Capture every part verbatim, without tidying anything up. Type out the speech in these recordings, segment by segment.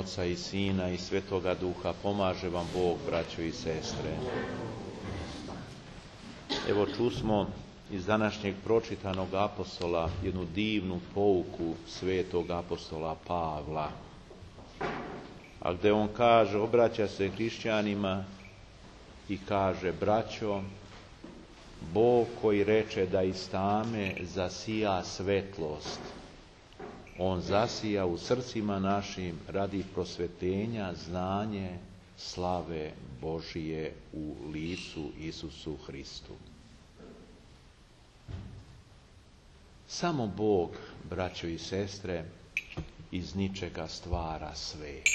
Oca i Sina i Svetoga Duha, pomaže vam Bog, braćo i sestre. Evo čusmo iz današnjeg pročitanog apostola jednu divnu pouku svetog apostola Pavla, a gdje on kaže, obraća se hrišćanima i kaže: braćo, Bog koji reče da iz tame zasija svetlost, on zasija u srcima našim radi prosvetenja, znanje, slave Božije u licu Isusu Hristu. Samo Bog, braćo i sestre, iz ničega stvara svet.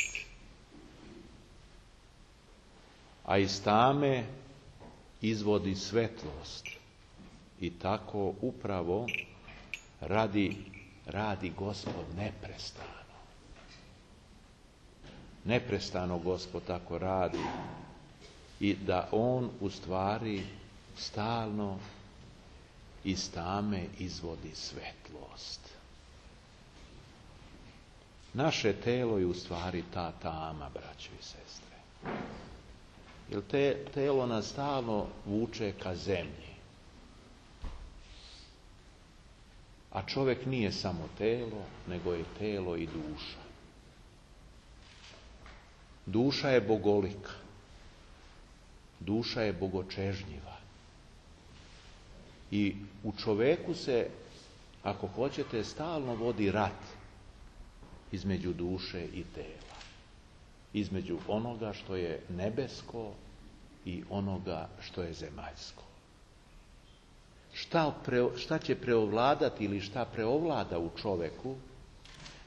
A iz tame izvodi svetlost. I tako upravo radi, radi Gospod neprestano. Neprestano Gospod tako radi. I da on u stvari stalno iz tame izvodi svetlost. Naše telo je u stvari ta tama, braćo i sestre. Jer te, telo nas stalno vuče ka zemlji. A čovjek nije samo telo, nego je telo i duša. Duša je bogolika. Duša je bogočežnjiva. I u čovjeku se, ako hoćete, stalno vodi rat između duše i tela. Između onoga što je nebesko i onoga što je zemaljsko. Šta, pre, šta će preovladati ili šta preovlada u čovjeku,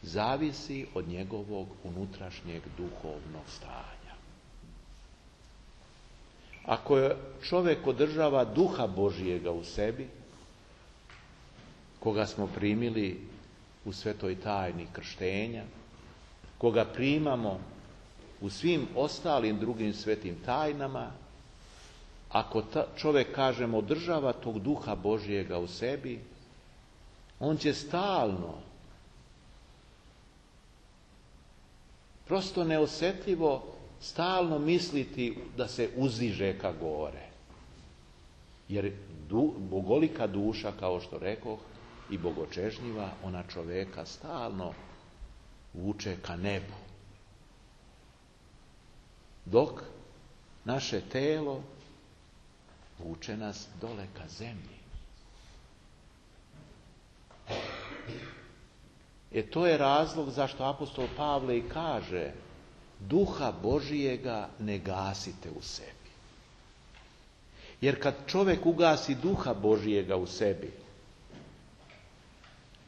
zavisi od njegovog unutrašnjeg duhovnog stanja. Ako čovjek održava duha Božijega u sebi, koga smo primili u svetoj tajni krštenja, koga primamo u svim ostalim drugim svetim tajnama, ako ta, čovjek, kažemo, održava tog duha Božijega u sebi, on će stalno, prosto neosjetljivo, stalno misliti da se uziže ka gore. Jer du, bogolika duša, kao što rekoh, i bogočežnjiva, ona čovjeka stalno vuče ka nebu. Dok naše telo vuče nas dole ka zemlji. E to je razlog zašto apostol Pavle i kaže: duha Božijega ne gasite u sebi. Jer kad čovjek ugasi duha Božijega u sebi,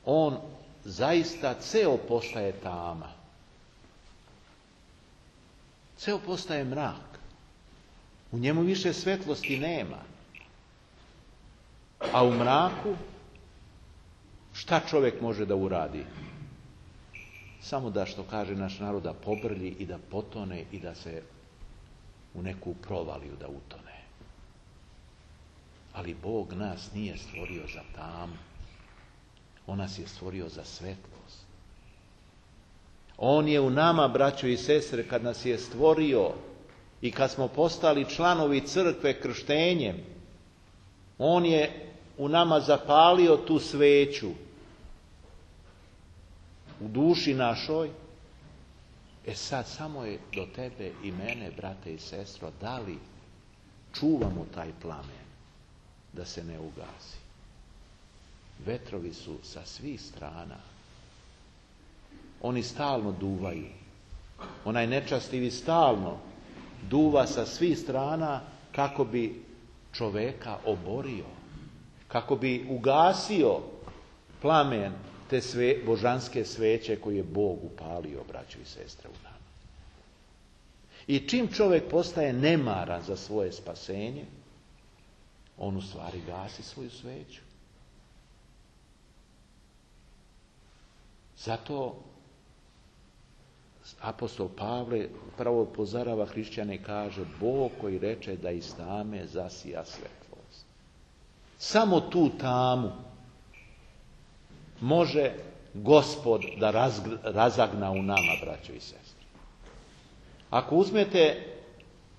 on zaista ceo postaje tama. Ceo postaje mrak. U njemu više svetlosti nema. A u mraku šta čovjek može da uradi? Samo da, što kaže naš narod, da pobrlji i da potone i da se u neku provaliju da utone. Ali Bog nas nije stvorio za tamu. On nas je stvorio za svetlost. On je u nama, braćo i sestre, kad nas je stvorio i kad smo postali članovi crkve krštenjem, on je u nama zapalio tu sveću u duši našoj. E sad samo je do tebe i mene, brate i sestro, da li čuvamo taj plamen da se ne ugasi. Vetrovi su sa svih strana. Oni stalno duvaju. Onaj nečastivi stalno duva sa svih strana kako bi čoveka oborio, kako bi ugasio plamen te sve, božanske sveće koje je Bog upalio, braćo i sestre, u nama. I čim čovjek postaje nemaran za svoje spasenje, on u stvari gasi svoju sveću. Zato apostol Pavle prvo upozorava hrišćane i kaže: Bog koji reče da iz tame zasija svetlost. Samo tu tamu može Gospod da razgr- razagna u nama, braćo i sestre. Ako uzmete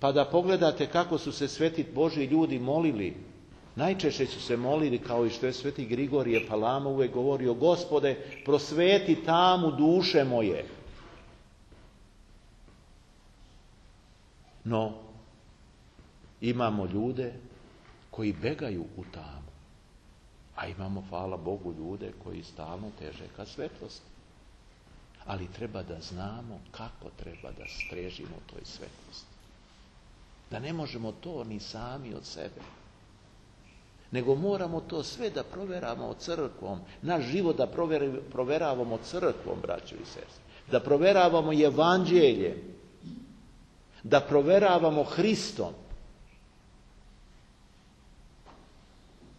pa da pogledate kako su se sveti Božji ljudi molili, najčešće su se molili kao i što je sveti Grigorije Palama uvijek govorio: Gospode, prosveti tamu duše moje. No, imamo ljude koji begaju u tamu, a imamo, hvala Bogu, ljude koji stalno teže ka svetlosti. Ali treba da znamo kako treba da strežimo toj svetlosti. Da ne možemo to ni sami od sebe, nego moramo to sve da proveravamo crkvom, naš život da proveravamo crkvom, braćo i sestre, da proveravamo evanđeljem, da proveravamo Hristom.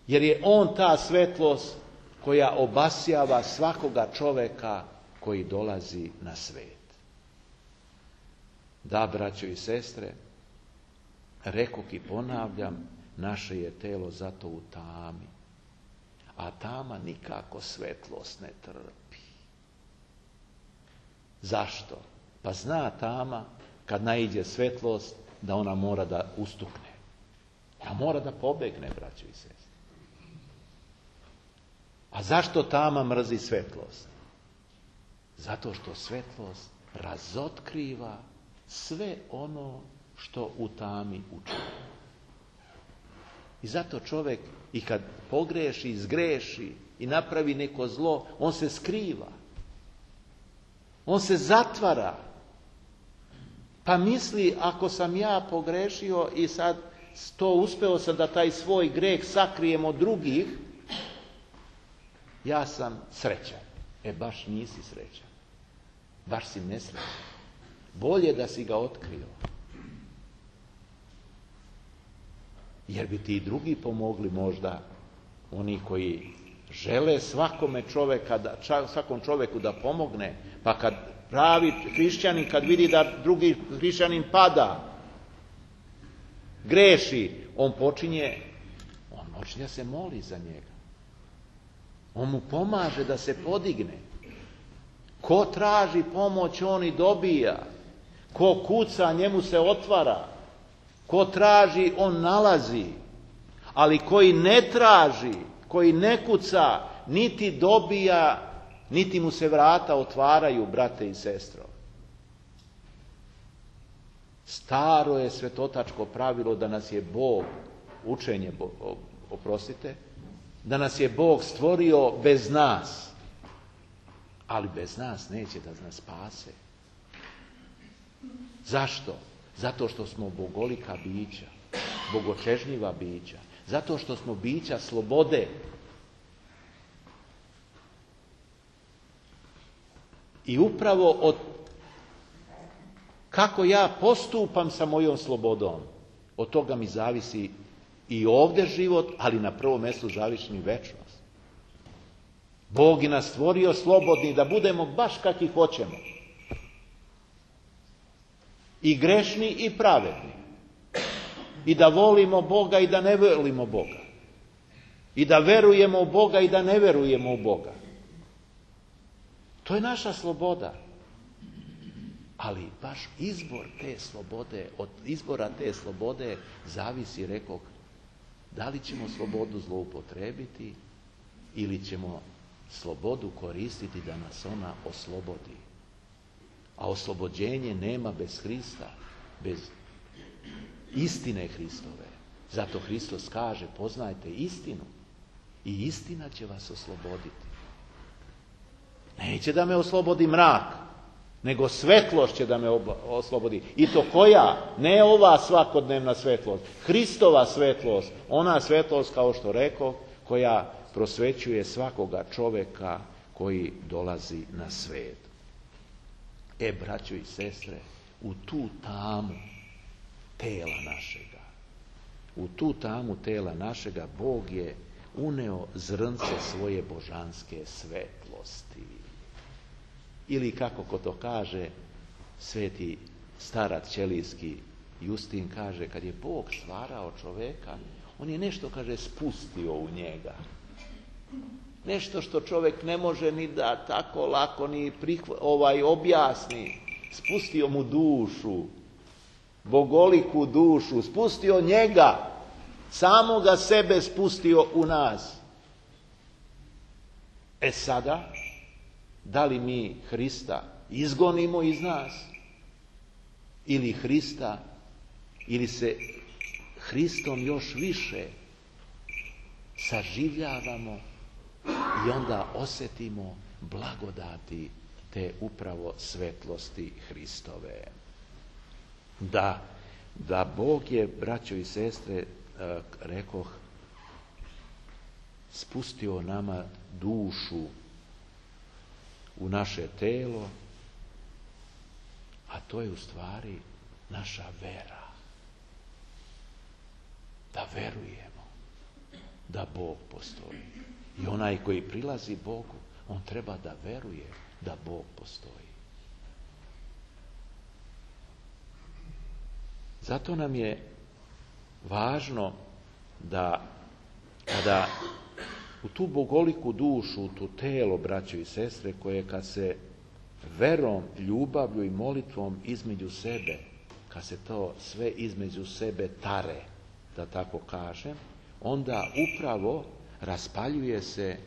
Jer je on ta svetlost koja obasjava svakoga čoveka koji dolazi na svet. Da, braćo i sestre, rekoh i ponavljam, naše je telo zato u tami, a tama nikako svetlost ne trpi. Zašto? Pa zna tama, kad naiđe svetlost, da ona mora da ustukne. A mora da pobegne, braćo i sestre. A zašto tama mrzi svetlost? Zato što svetlost razotkriva sve ono što u tami učini. I zato čovjek i kad pogreši, zgreši i napravi neko zlo, on se skriva. On se zatvara. Pa misli, ako sam ja pogrešio i sad to uspeo sam da taj svoj greh sakrijem od drugih, ja sam srećan. E, baš nisi srećan. Baš si nesrećan. Bolje da si ga otkrio. Jer bi ti i drugi pomogli možda, oni koji žele svakome čoveka, da, svakom čoveku da pomogne, pa kad pravi hrišćanin, kad vidi da drugi hrišćanin pada, greši, on počinje, on počinje da se moli za njega. On mu pomaže da se podigne. Ko traži pomoć, on i dobija. Ko kuca, njemu se otvara. Ko traži, on nalazi. Ali koji ne traži, koji ne kuca, niti dobija, niti mu se vrata otvaraju, brate i sestro. Staro je svetotačko pravilo da nas je Bog, učenje, oprostite, da nas je Bog stvorio bez nas. Ali bez nas neće da nas spase. Zašto? Zato što smo bogolika bića, bogočežnjiva bića. Zato što smo bića slobode. I upravo od kako ja postupam sa mojom slobodom, od toga mi zavisi i ovdje život, ali na prvom mjestu zavisi mi večnost. Bog je nas stvorio slobodni da budemo baš kakvi hoćemo. I grešni i pravedni. I da volimo Boga i da ne volimo Boga. I da verujemo u Boga i da ne verujemo u Boga. To je naša sloboda. Ali baš izbor te slobode, od izbora te slobode zavisi, rekoh, da li ćemo slobodu zloupotrebiti ili ćemo slobodu koristiti da nas ona oslobodi. A oslobođenje nema bez Hrista, bez istine Hristove. Zato Hristos kaže, poznajte istinu i istina će vas osloboditi. Neće da me oslobodi mrak, nego svetlost će da me oslobodi. I to koja? Ne ova svakodnevna svetlost. Hristova svetlost. Ona svetlost, kao što rekao, koja prosvećuje svakoga čoveka koji dolazi na svet. E, braćo i sestre, u tu tamu tela našega, u tu tamu tela našega Bog je uneo zrnce svoje božanske svetlosti. Ili kako ko to kaže, sveti starac ćelijski Justin kaže, kad je Bog stvarao čoveka, on je nešto, kaže, spustio u njega. Nešto što čovjek ne može ni da tako lako ni prihva, ovaj, objasni. Spustio mu dušu, bogoliku dušu, spustio njega, samoga sebe spustio u nas. E sada, da li mi Hrista izgonimo iz nas, ili Hrista, ili se Hristom još više saživljavamo i onda osjetimo blagodati te upravo svetlosti Hristove. Da, da Bog je, braćo i sestre, rekoh, spustio nama dušu u naše telo, a to je u stvari naša vera. Da verujemo da Bog postoji. I onaj koji prilazi Bogu, on treba da veruje da Bog postoji. Zato nam je važno da kada u tu bogoliku dušu, u tu telo, braćo i sestre, koje kad se verom, ljubavlju i molitvom između sebe, kad se to sve između sebe tare, da tako kažem, onda upravo raspaljuje se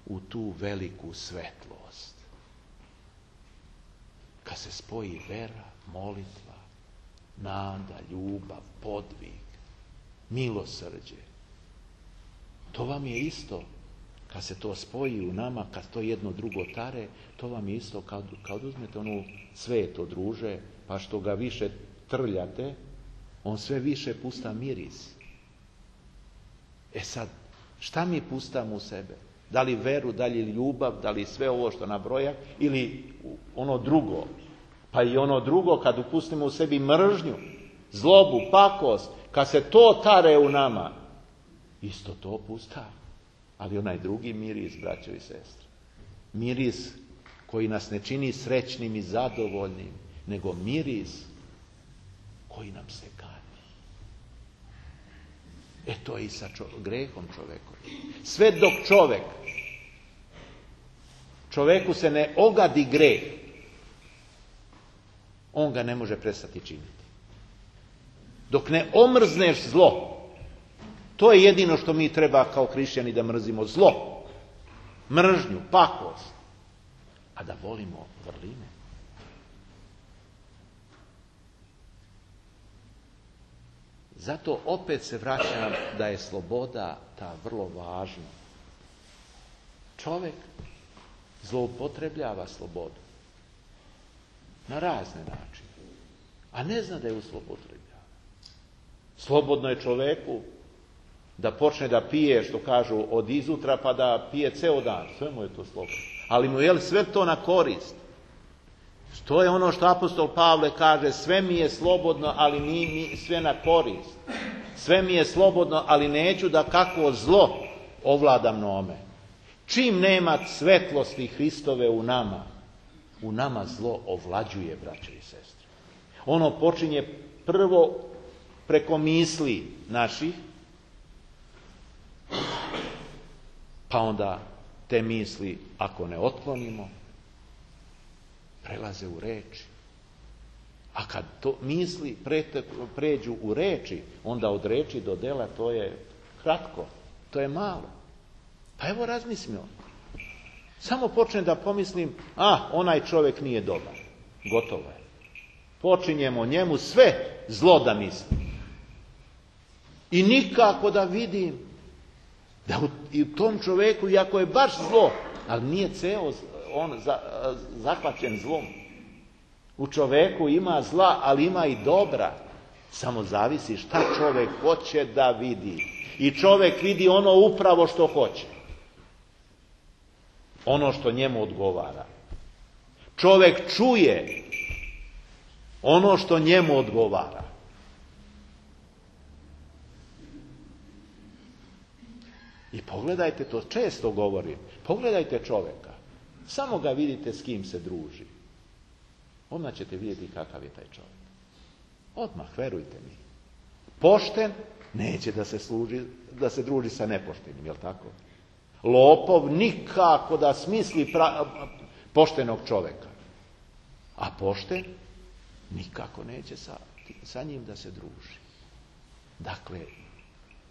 u tu veliku svetlost. Kad se spoji vera, molitva, nada, ljubav, podvig, milosrđe, to vam je isto, kad se to spoji u nama, kad to jedno drugo tare, to vam je isto kad, kad uzmete onu sveto druže, pa što ga više trljate, on sve više pusta miris. E sad, šta mi pustamo u sebe? Da li veru, da li ljubav, da li sve ovo što nabroja, ili ono drugo? Pa i ono drugo, kad upustimo u sebi mržnju, zlobu, pakost, kad se to tare u nama, isto to pusta. Ali onaj drugi miris, braćo i sestre, miris koji nas ne čini srećnim i zadovoljnim, nego miris koji nam se gadi. E to je i sa čo- grehom čovekom. Sve dok čovek, čoveku se ne ogadi greh, on ga ne može prestati činiti. Dok ne omrzneš zlo, to je jedino što mi treba kao hrišćani, da mrzimo zlo, mržnju, pakost, a da volimo vrline. Zato opet se vraćam da je sloboda ta vrlo važna. Čovjek zloupotrebljava slobodu na razne načine, a ne zna da je zloupotrebljava. Slobodno je čovjeku da počne da pije, što kažu, od izutra, pa da pije ceo dan. Sve mu je to slobodno. Ali mu je sve to na korist. To je ono što apostol Pavle kaže, sve mi je slobodno, ali ni mi sve na korist. Sve mi je slobodno, ali neću da kako zlo ovlada mnome. Čim nema svetlosti Hristove u nama, u nama zlo ovlađuje, braćo i sestre. Ono počinje prvo preko misli naših, pa onda te misli, ako ne otklonimo, prelaze u reči. A kad to misli pređu u reči, onda od reči do dela to je kratko, to je malo. Pa evo razmislimo. Samo počnem da pomislim, a, onaj čovjek nije dobar. Gotovo je. Počinjemo njemu sve zlo da mislim. I nikako da vidim da u, i u tom čovjeku, iako je baš zlo, ali nije ceo on za, zahvaćen zlom. U čovjeku ima zla, ali ima i dobra. Samo zavisi šta čovjek hoće da vidi. I čovjek vidi ono upravo što hoće. Ono što njemu odgovara. Čovjek čuje ono što njemu odgovara. I pogledajte, to često govorim, pogledajte čovjeka. Samo ga vidite s kim se druži. Odmah ćete vidjeti kakav je taj čovjek. Odmah, verujte mi. Pošten, neće da se, služi, da se druži sa nepoštenim, jel tako? Lopov nikako da smisli pra, poštenog čovjeka. A pošten nikako neće sa sa njim da se druži. Dakle,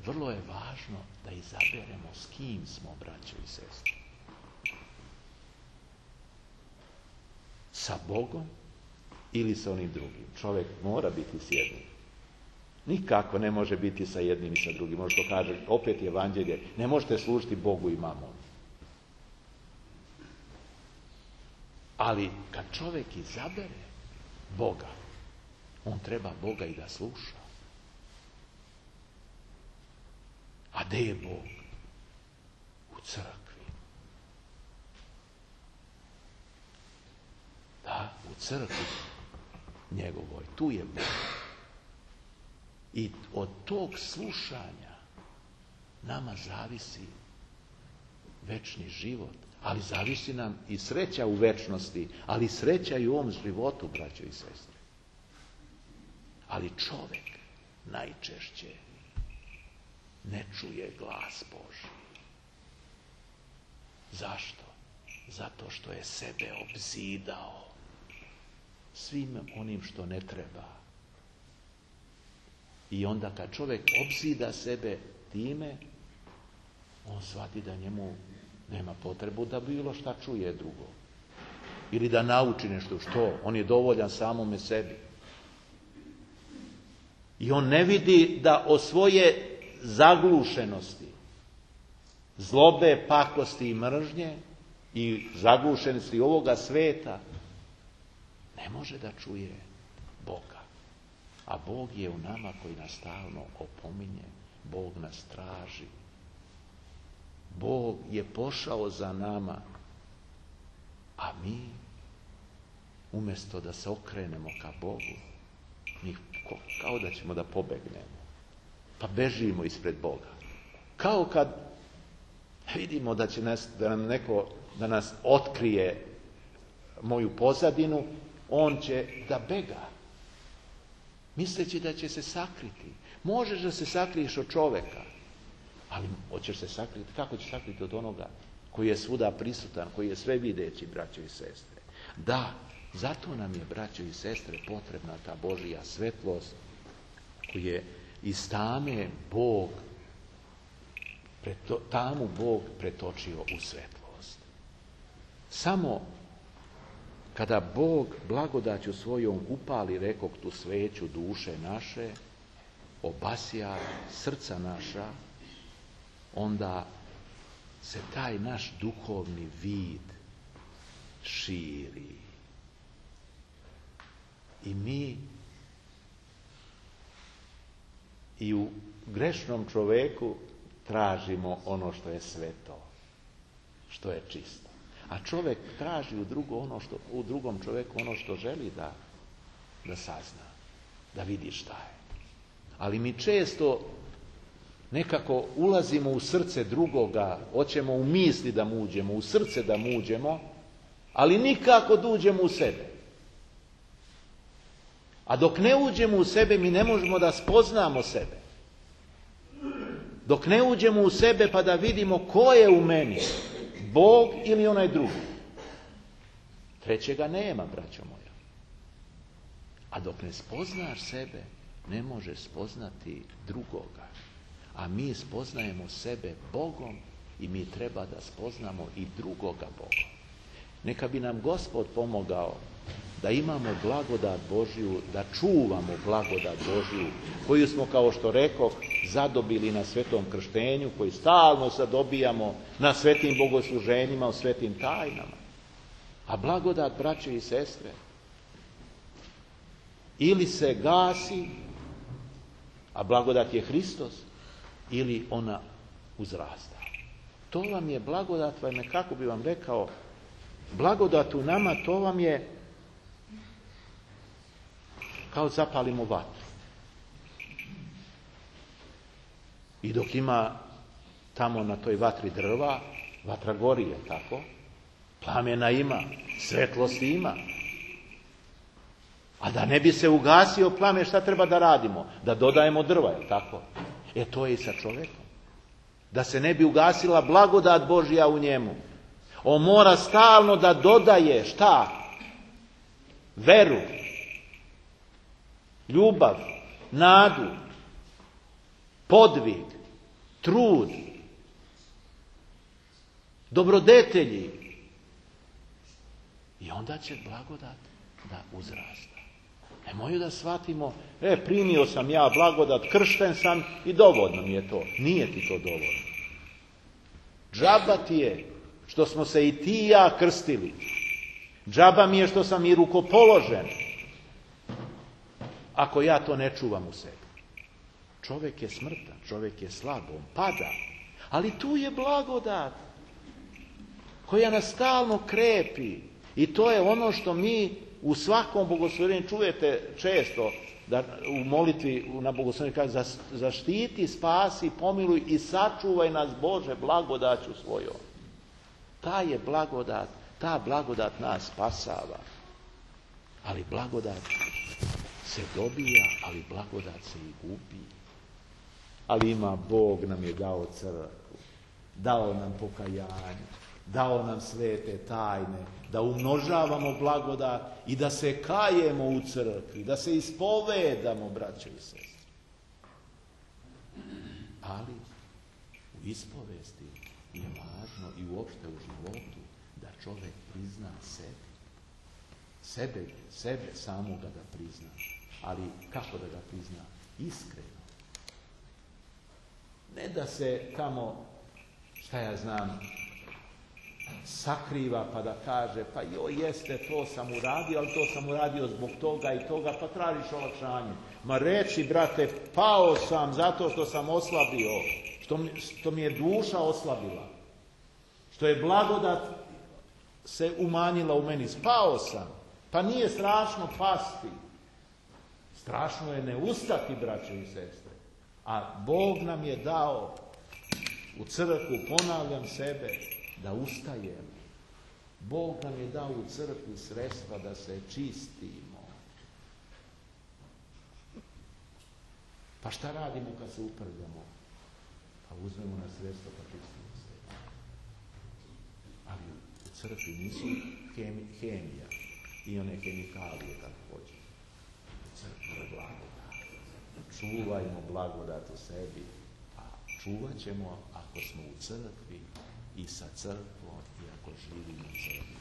vrlo je važno da izaberemo s kim smo, braćo i sestre. Sa Bogom ili sa onim drugim. Čovjek mora biti s jednim. Nikako ne može biti sa jednim i sa drugim. Možda to kaže, opet je evanđelje, ne možete služiti Bogu i mamonu. Ali kad čovjek izabere Boga, on treba Boga i da sluša. A gdje je Bog? U crkvi. Da, u crkvi njegovoj. Tu je Bog. I od tog slušanja nama zavisi večni život. Ali zavisi nam i sreća u večnosti, ali sreća i u ovom životu, braćo i sestre. Ali čovjek najčešće ne čuje glas Božji. Zašto? Zato što je sebe obzidao svim onim što ne treba. I onda kad čovjek obzida sebe time, on shvati da njemu nema potrebu da bilo šta čuje drugo. Ili da nauči nešto. Što? On je dovoljan samome sebi. I on ne vidi da o svoje zaglušenosti, zlobe, pakosti i mržnje i zaglušenosti ovoga sveta ne može da čuje Boga. A Bog je u nama koji nas stalno opominje. Bog nas traži. Bog je pošao za nama, a mi umjesto da se okrenemo ka Bogu, mi kao da ćemo da pobegnemo. Pa bežimo ispred Boga. Kao kad vidimo da će nas, da nam neko da nas otkrije moju pozadinu, on će da bega. Misleći da će se sakriti. Možeš da se sakriješ od čovjeka, ali hoćeš se sakriti. Kako ćeš sakriti od onoga koji je svuda prisutan, koji je sve videći, braćo i sestre? Da, zato nam je, braćo i sestre, potrebna ta Božja svetlost koju je iz tame Bog, preto, tamu Bog pretočio u svetlost. Samo kada Bog blagodaću svojom upali, rekog, tu sveću duše naše, obasja srca naša, onda se taj naš duhovni vid širi. I mi i u grešnom čovjeku tražimo ono što je sveto, što je čisto. A čovjek traži u, drugo ono što, u drugom čovjeku ono što želi da, da sazna, da vidi šta je. Ali mi često nekako ulazimo u srce drugoga, hoćemo u misli da mu uđemo, u srce da mu uđemo, ali nikako da uđemo u sebe. A dok ne uđemo u sebe, mi ne možemo da spoznamo sebe. Dok ne uđemo u sebe pa da vidimo ko je u meni, Bog ili onaj drugi. Trećega nema, braćo moja. A dok ne spoznaš sebe, ne možeš spoznati drugoga. A mi spoznajemo sebe Bogom i mi treba da spoznamo i drugoga Bogom. Neka bi nam Gospod pomogao da imamo blagodat Božju, da čuvamo blagodat Božju, koju smo, kao što rekoh, zadobili na svetom krštenju, koji stalno sad dobijamo na svetim bogosluženjima, u svetim tajnama. A blagodat, braće i sestre, ili se gasi, a blagodat je Hristos, ili ona uzrasta. To vam je blagodat, vam je, kako bi vam rekao, blagodat u nama, to vam je kao zapalimo vatru. I dok ima tamo na toj vatri drva, vatra gori, je tako? Plamena ima, svetlosti ima. A da ne bi se ugasio plamen, šta treba da radimo? Da dodajemo drva, je tako? E to je i sa čovjekom. Da se ne bi ugasila blagodat Božja u njemu. On mora stalno da dodaje šta? Veru. ljubav, nadu, podvig, trud, dobrodetelji. I onda će blagodat da uzrasta. Nemoj da shvatimo, e, primio sam ja blagodat, kršten sam i dovoljno mi je to. Nije ti to dovoljno. Džaba ti je što smo se i ti i ja krstili. Džaba mi je što sam i rukopoložen. Ako ja to ne čuvam u sebi. Čovjek je smrtan, čovjek je slab, on pada. Ali tu je blagodat koja nas stalno krepi. I to je ono što mi u svakom bogoslovljenju čujete često, da u molitvi na bogoslovljenju kaže zaštiti, spasi, pomiluj i sačuvaj nas Bože blagodaću svojom. Ta je blagodat, ta blagodat nas spasava. Ali blagodat se dobija, ali blagodat se i gubi. Ali ima, Bog nam je dao crkvu, dao nam pokajanje, dao nam svete tajne, da umnožavamo blagodat i da se kajemo u crkvi, da se ispovedamo, braće i sestre. Ali u ispovesti je važno i uopšte u životu da čovjek prizna sebe. Sebe, sebe samoga da prizna. Ali kako da ga prizna? Iskreno. Ne da se tamo, šta ja znam, sakriva pa da kaže, pa joj jeste, to sam uradio, ali to sam uradio zbog toga i toga, pa tražiš olakšanje. Ma reći, brate, pao sam zato što sam oslabio, što mi, što mi je duša oslabila, što je blagodat se umanjila u meni. Spao sam, pa nije strašno pasti. Strašno je ne ustati, braće i sestre. A Bog nam je dao u crkvu, ponavljam sebe, da ustajemo. Bog nam je dao u crkvi sredstva da se čistimo. Pa šta radimo kad se uprljamo? Pa uzmemo na sredstva pa čistimo se. Ali u crkvi nisu hemi, hemija i one hemikalije kako hoće. U crkvi je blagodat. Čuvajmo blagodat u sebi. A čuvat ćemo ako smo u crkvi i sa crkvom i ako živimo u crkvi.